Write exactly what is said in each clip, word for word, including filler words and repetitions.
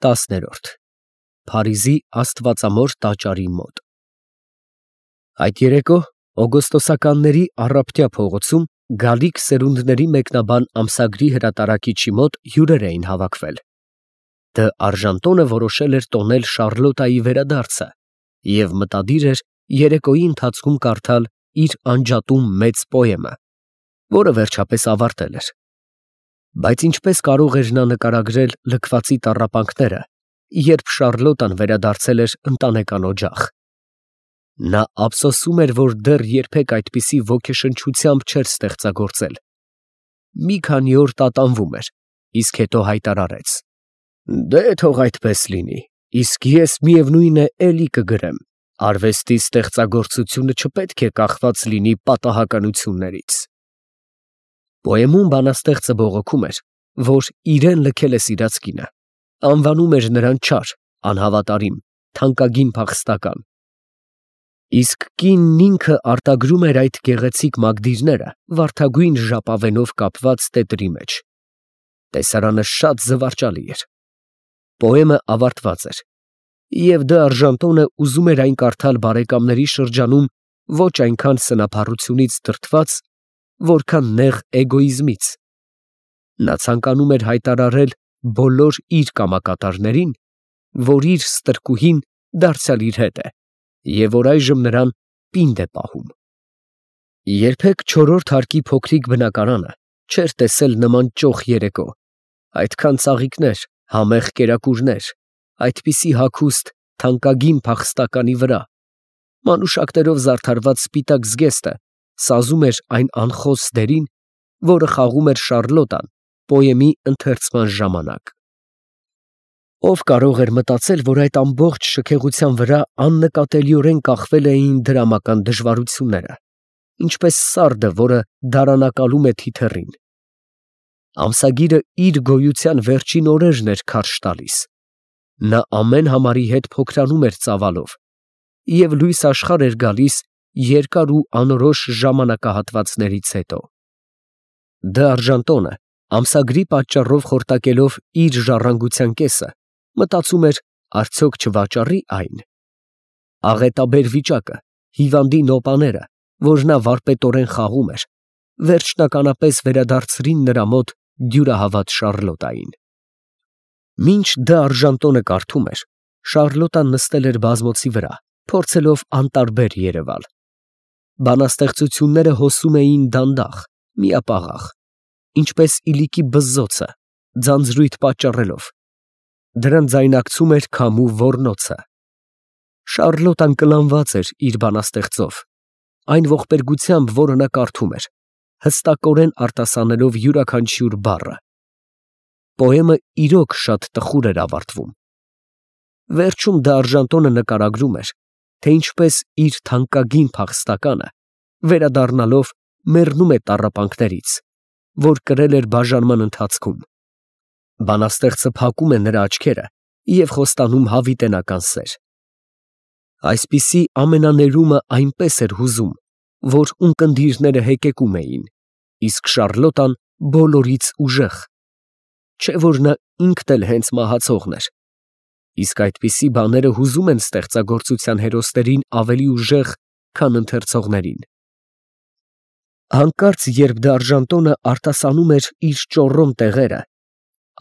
Տասներորդ Փարիզի Աստվածամոր տաճարի մոտ։ Այդ երեկո օգոստոսականների առափտյա փողոցում գալիք սերունդների մեկնաբան ամսագրի հրատարակիչի մոտ հյուրեր էին հավաքվել։ Դը Արժանտոնը որոշել էր տոնել Շառլոտայի վերադարձը և մտադիր էր երեկոյի ընթացքում կարդալ իր անջատում մեծ պոեմը, որը վերջապես ավարտել էր։ Բայց ինչպես կարող էր նա նկարագրել լքվածի տառապանքները, երբ Շառլոտան վերադարձել էր ընտանեկան օջախ։ Նա ափսոսում էր, որ դեռ երբեք այդպիսի ոգեշնչությամբ չէր ստեղծագործել։ Մի քանի օր տատանվում էր, իսկ հետո հայտարարեց. «Դե թող այդպես լինի, իսկ ես միևնույն է էլի կգրեմ. արվեստի ստեղծագործությունը չպետք է կախված լինի պատահականություններից»։ Պոեմում բանաստեղծը բողոքում էր, որ իրեն լքել է սիրած կինը, անվանում էր նրան չար, անհավատարիմ, թանկագին փախստական։ Իսկ կինն ինքը արտագրում էր այդ գեղեցիկ մագդիրները վարդագույն ժապավենով կապված տետրի մեջ։ Տեսարանը շատ զվարճալի էր։ Պոեմը ավարտված էր, և դե Արժանտոնը ուզում էր այն կարդալ բարեկամների շրջանում ոչ այնքան սնափառությունից դրդված, որքան նեղ էգոիզմից։ Նա ցանկանում էր հայտարարել բոլոր իր կամակատարներին, որ իր ստրկուհին դարձյալ իր հետ է, և որ այժմ նրան պինդ է պահում։ Երբեք չորրորդ հարկի փոքրիկ բնակարանը չէր տեսել նման ճոխ երեկո, այդքան ծաղիկներ, համեղ կերակուրներ, այդպիսի հագուստ թանկագին փախստականի վրա, մանուշակներով զարդարված սպիտակ զգեստը սազում էր այն անխոս դերին, որը խաղում էր Շառլոտան պոեմի ընթերցման ժամանակ։ Ով կարող էր մտածել, որ այդ ամբողջ շքեղության վրա աննկատելիորեն կախվել էին դրամական դժվարությունները, ինչպես սարդը, որը դարանակալում է թիթեռին։ Ամսագիրը իր գոյության վերջին օրերն էր քարշ տալիս։ Նա ամեն համարի հետ փոքրանում էր ծավալով, և լույս աշխարհ էր գալիս երկար ու անորոշ ժամանակահատվածներից հետո։ Դե Արժանտոնը, ամսագրի պատճառով խորտակելով իր ժառանգության կեսը, մտածում էր, արդյոք չվաճառի այն։ Աղետաբեր վիճակը, հիվանդի նոպաները, որ նա վարպետորեն խաղում էր, վերջնականապես վերադարձրին նրա մոտ դյուրահավատ Շառլոտային։ Մինչ դե Արժանտոնը կարդում էր, Շառլոտան նստել էր բազմոցի վրա, փորձելով անտարբեր երևալ։ Բանաստեղծությունները հոսում էին դանդաղ, միապաղաղ, ինչպես իլիկի բզզոցը, ձանձրույթ պատճառելով։ Դրան ձայնակցում էր քամու ոռնոցը։ Շառլոտան կլանված էր իր բանաստեղծով, այն ողբերգությամբ, որը նա կարդում էր, հստակորեն արտասանելով յուրաքանչյուր բառը։ Պոեմը իրոք շատ տխուր էր ավարտվում։ Վերջում դե Արժանտոնը նկարագրում էր, թե ինչպես իր թանկագին փախստականը, վերադառնալով, մեռնում է տառապանքներից, որ կրել էր բաժանման ընթացքում։ Բանաստեղծը փակում է նրա աչքերը և խոստանում հավիտենական սեր։ Այսպիսի ամենաներումը այնպես էր հուզում, որ ունկնդիրները հեկեկում էին, իսկ Շառլոտան բոլորից ուժեղ, չէ՞ որ նա ինքն էլ հենց մահացողն էր, իսկ այդպիսի բաները հուզում են ստեղծագործության հերոսներին ավելի ուժեղ, քան ընթերցողներին։ Հանկարծ, երբ դե Արժանտոնը արտասանում էր իր ճոռոմ տեղերը,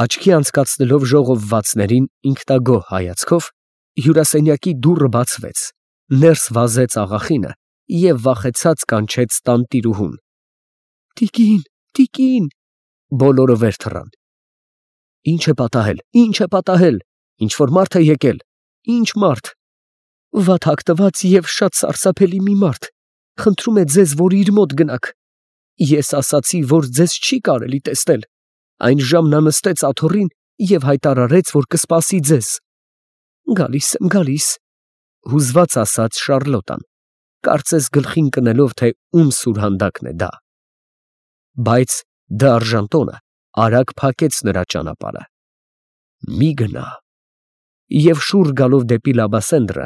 աչքի անցկացնելով ժողովվածներին ինքնագոհ հայացքով, հյուրասենյակի դուռը բացվեց, ներս վազեց աղախինը և վախեցած կանչեց տանտիրուհուն։ «Տիկին, տիկին»… Բոլորը վեր թռան։ «Ի՞նչ է պատահել, ի՞նչ է պատահել, ինչ֊որ մարդ է եկել, ի՞նչ մարդ»։ «Վատ հագնված և շատ սարսափելի մի մարդ, խնդրում է ձեզ, որ իր մոտ գնաք։ Ես ասացի, որ ձեզ չի կարելի տեսնել, այն ժամ նա նստեց աթոռին և հայտարարեց, որ կսպասի ձեզ»։ «Գալիս եմ, գալիս», հուզված ասաց Շառլոտան, կարծես գլխին կնելով, թե ում սուրհանդակն է դա։ Բայց դե Արժանտոնը արագ փակեց նրա ճանապարհը։ «Մի գնա»… և շուռ գալով դեպի Լաբասենդրը,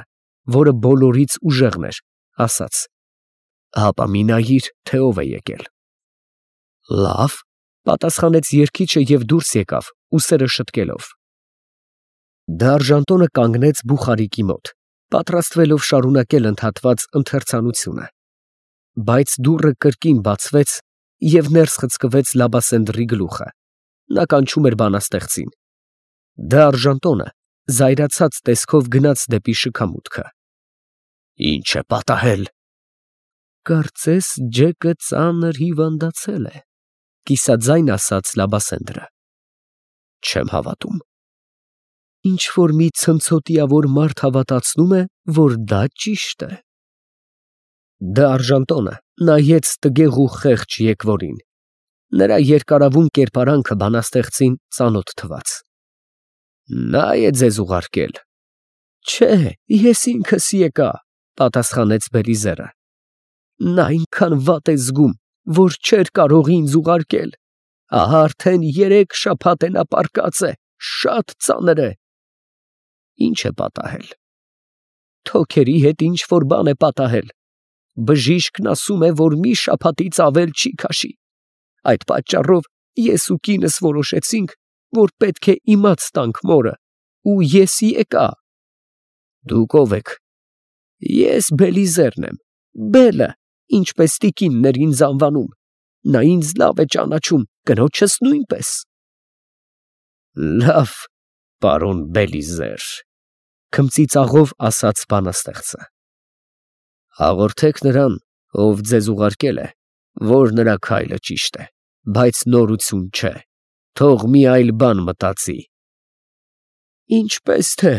որը բոլորից ուժեղն էր, ասաց. «Հապա մի նայիր, թե ով է եկել»։ «Լավ», պատասխանեց երգիչը և դուրս եկավ, ուսերը շտկելով։ Դարժանտոնը կանգնեց բուխարիկի մոտ, պատրաստվելով շարունակել ընդհատված ընթերցանությունը, բայց դուռը կրկին բացվեց և ներս խցկվեց Լաբասենդռի գլուխը. նա կանչում էր բանաստեղծին։ Դարժանտոնը զայրացած տեսքով գնաց դեպի շքամուտքը։ Ի՞նչ է պատահել։ Կարծես Ջեկը ծանր հիվանդացել է, կիսաձայն ասաց Լաբասենդռը։ Չեմ հավատում։ Ինչ որ մի ցնցոտիավոր մարդ հավատացնում է, որ դա ճիշտ է։ Դարժանտոնը նայեց տգեղ ու խեղճ եկվորին։ Նրա երկարավուն կերպարանքը բանաստեղծին ծանոթ թվաց։ Նա է ձեզ ուղարկել։ Չէ, ես ինքս եկա, պատասխանեց Բելիզերը։ Նա այնքան վատ է զգում, որ չէր կարող ինձ ուղարկել։ Ահա արդեն երեք շաբաթ է նա պառկած է, շատ ծանր է։ Ինչ է պատահել։ Թոքերի հետ ինչ որ բան է պատահել։ Բժիշկն ասում է, որ մի շաբաթից ավել չի քաշի։ Այդ պատճառով ես ու կինս որոշեցինք, որ պետք է իմաց տանք մորը, ու ես եկա։ Դուք ո՞վ եք։ Ես Բելիզերն եմ, Բելը, ինչպես տիկինն էր ինձ անվանում։ Նա ինձ լավ է ճանաչում, կնոջս նույնպես։ Լավ, պարոն Բելիզեր, քմծիծաղով ասաց բանաստեղծը։ Հաղորդեք նրան, ով ձեզ ուղարկել է, որ նրա քայլը ճիշտ է, բայց նորություն չէ, թող մի այլ բան մտածի։ Ինչպես թե,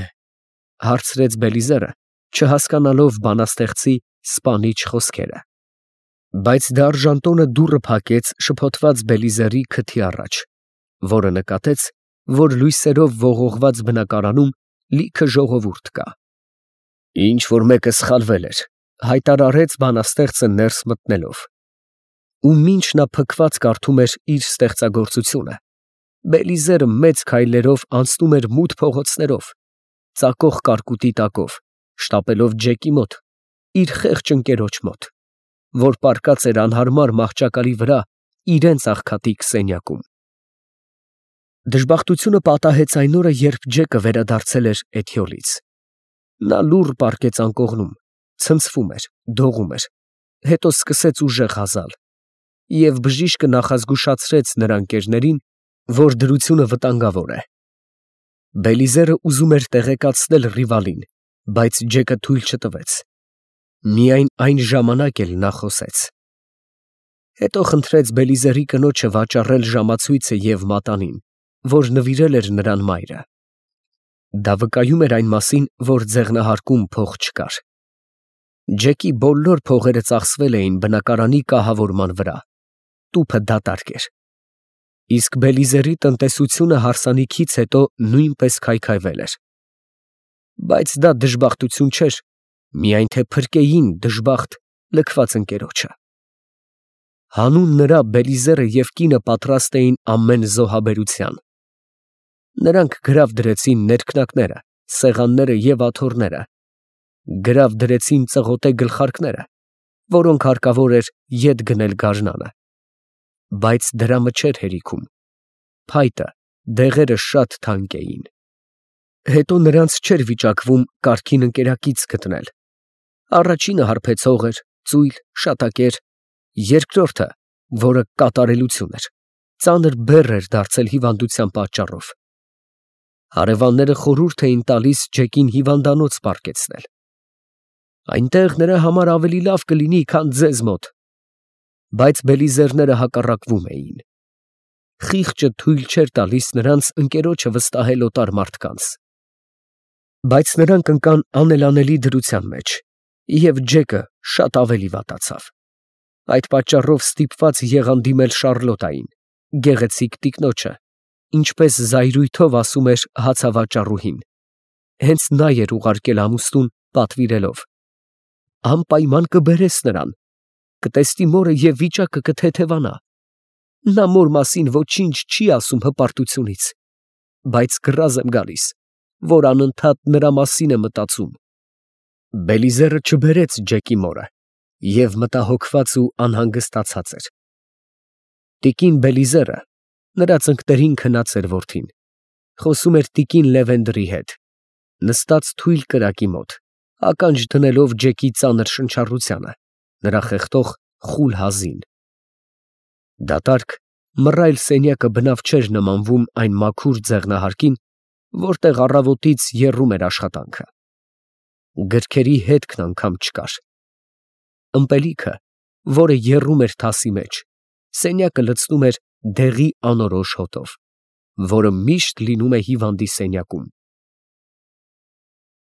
հարցրեց Բելիզերը, չհասկանալով բանաստեղծի սպանիչ խոսքերը։ Բայց Դարժանտոնը դուռը փակեց շփոթված Բելիզերի քթի առաջ, որը նկատեց, որ լույսերով ողողված բնակարանում լիքը ժողովուրդ կա։ Ինչ որ մեկը սխալվել էր, հայտարարեց բանաստեղծը ներս մտնելով։ Ու մինչ նա փքված կարդում էր իր ստեղծագործությունը, Բելիզերը մեծ քայլերով անցնում էր մութ փողոցներով, ծակող կարկուտի տակով, շտապելով Ջեկի մոտ, իր խեղճ ընկերոջ մոտ, որ պառկած էր անհարմար մահճակալի վրա իրենց աղքատիկ սենյակում։ Դժբախտությունը պատահեց այն օրը, երբ Ջեկը վերադարձել էր Էթյոլից։ Նա լուռ պառկեց անկողնում, ցնցվում էր, դողում էր, հետո սկսեց ուժեղ հազալ, և բժիշկը նախազգուշացրեց նրա ընկերներին, որ դրությունը վտանգավոր է։ Բելիզերը ուզում էր տեղեկացնել Ռիվալին, բայց Ջեկը թույլ չտվեց։ Միայն այն ժամանակ էլ նա խոսեց։ Հետո խնդրեց Բելիզերի կնոջը վաճառել ժամացույցը և մատանին, որ նվիրել էր նրան մայրը։ Դա վկայում էր այն մասին, որ ձեղնահարկում փող չկար։ Ջեկի բոլոր փողերը ծախսվել էին բնակարանի կահավորման վրա, տուփը դատարկ էր։ Իսկ Բելիզերի տնտեսությունը հարսանիքից հետո նույնպես քայքայվել էր։ Բայց դա դժբախտություն չէր, միայն թե փրկեին դժբախտ լքված ընկերոջը։ Հանուն նրա Բելիզերը և կինը պատրաստ էին ամեն զոհաբերության։ Նրանք գրավ դրեցին ներքնակները, սեղանները և աթոռները, գրավ դրեցին ծղոտե գլխարկները, որոնք հարկավոր էր ետ գնել գարնանը։ Բայց դրամը չէր հերիքում։ Փայտը, դեղերը շատ թանկ էին։ Հետո նրանց չէր վիճակվում կարգին ընկերակից գտնել։ Առաջինը հարբեցող էր, ծույլ, շատակեր, երկրորդը, որը կատարելություն էր, ծանր բեռ էր դարձել հիվանդության պատճառով։ Հարևանները խորհուրդ էին տալիս Ջեկին հիվանդանոց պառկեցնել։ Այնտեղ նրա համար ավելի լավ կլինի, քան ձեզ մոտ։ Բայց Բելիզերները հակառակվում էին։ Խիղճը թույլ չէր տալիս նրանց ընկերոջը վստահել օտար մարդկանց։ Բայց նրանք ընկան անելանելի դրության մեջ, և Ջեկը շատ ավելի վատացավ։ Այդ պատճառով ստիպված եղան դիմել Շառլոտային, գեղեցիկ տիկնոջը, ինչպես զայրույթով ասում էր հացավաճառուհին։ Հենց նա էր ուղարկել ամուսնուն, պատվիրելով. անպայման կբերես նրան, կտեսնի մորը և վիճակը կթեթևանա։ Նա մոր մասին ոչինչ չի ասում հպարտությունից, բայց կռազ եմ գալիս, որ անընդհատ նրա մասին է մտածում։ Բելիզերը չբերեց Ջեկի մորը և մտահոգված ու անհանգստացած էր։ Տիկին Բելիզերը, նրա ծնկներին քնած էր որդին, Խոսում էր տիկին Լևենդրի հետ, նստած թույլ կրակի մոտ, ականջ դնելով Ջեկի ծանր շնչառությանը, նրա խեղդող խուլ հազին։ Դատարկ, մռայլ սենյակը բնավ չէր նմանվում այն մաքուր ձեղնահարկին, որտեղ առավոտից եռում էր աշխատանքը։ Գրքերի հետքն անգամ չկար։ Ըմպելիքը, որը եռում էր թասի մեջ, սենյակը լցնում էր դեղի անորոշ հոտով, որը միշտ լինում է հիվանդի սենյակում։